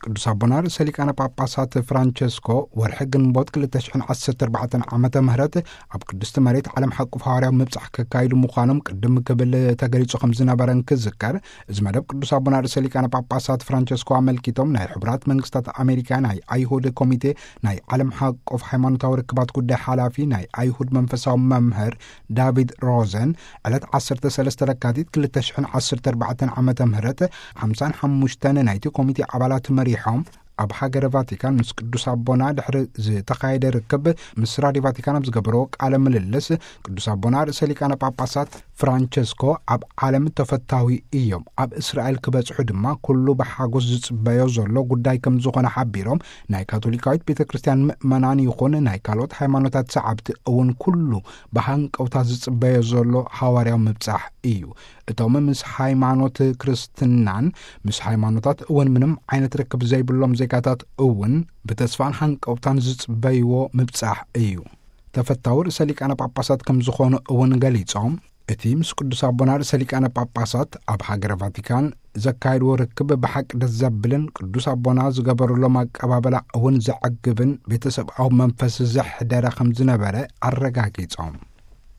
ቅዱስ ኣቦና ርእሰ ሊቃነ ጳጳሳት ፍራንቸስኮ ወርሒ ግንቦት ክልተ ሽሕን ዓሰርተ ኣርባዕተን ዓመተ ምህረት ኣብ ቅድስቲ መሬት ዓለም ሓቁፍ ሃዋርያዊ ምብጻሕ ከካይዱ ምዃኖም ቅድም ክብል ተገሊጹ ከም ዝነበረ እንክዝከር፣ እዚ መደብ ቅዱስ ኣቦና ርእሰ ሊቃነ ጳጳሳት ፍራንቸስኮ ኣመልኪቶም ናይ ሕቡራት መንግስታት ኣሜሪካ ናይ ኣይሁድ ኮሚቴ ናይ ዓለም ሓቆፍ ሃይማኖታዊ ርክባት ጉዳይ ሓላፊ ናይ ኣይሁድ መንፈሳዊ መምህር ዳቪድ ሮዘን ዕለት ዓሰርተ ሰለስተ ለካቲት ክልተ ሽሕን ዓሰርተ ኣርባዕተን ዓመተ ምህረት ሓምሳን ሓሙሽተን ናይቲ ኮሚቴ ኣባላት መሪሖም ኣብ ሃገረ ቫቲካን ምስ ቅዱስ ኣቦና ድሕሪ ዝተኻየደ ርክብ ምስ ራድዮ ቫቲካን ኣብ ዝገበርዎ ቃለ ምልልስ፣ ቅዱስ ኣቦና ርእሰ ሊቃነ ጳጳሳት ፍራንቸስኮ ኣብ ዓለም ተፈታዊ እዮም፣ ኣብ እስራኤል ክበጽሑ ድማ ኩሉ ብሓጎስ ዝጽበዮ ዘሎ ጉዳይ ከም ዝኾነ ሓቢሮም፣ ናይ ካቶሊካዊት ቤተ ክርስቲያን ምእመናን ይኹን ናይ ካልኦት ሃይማኖታት ሰዓብቲ እውን ኩሉ ብሃንቀውታ ዝጽበዮ ዘሎ ሃዋርያዊ ምብጻሕ እዩ። እቶም ምስ ሃይማኖት ክርስትናን ምስ ሃይማኖታት እውን ምንም ዓይነት ርክብ ዘይብሎም ዜጋታት እውን ብተስፋን ሃንቀውታን ዝጽበይዎ ምብጻሕ እዩ። ተፈታዊ ርእሰ ሊቃነ ጳጳሳት ከም ዝኾኑ እውን ገሊጾም፣ እቲ ምስ ቅዱስ ኣቦና ርእሰ ሊቃነ ጳጳሳት ኣብ ሃገረ ቫቲካን ዘካየድዎ ርክብ ብሓቂ ደስ ዘብልን ቅዱስ ኣቦና ዝገበሩሎም ኣቀባበላ እውን ዘዕግብን ቤተሰብኣዊ መንፈስ ዘሕደረ ከም ዝነበረ ኣረጋጊጾም።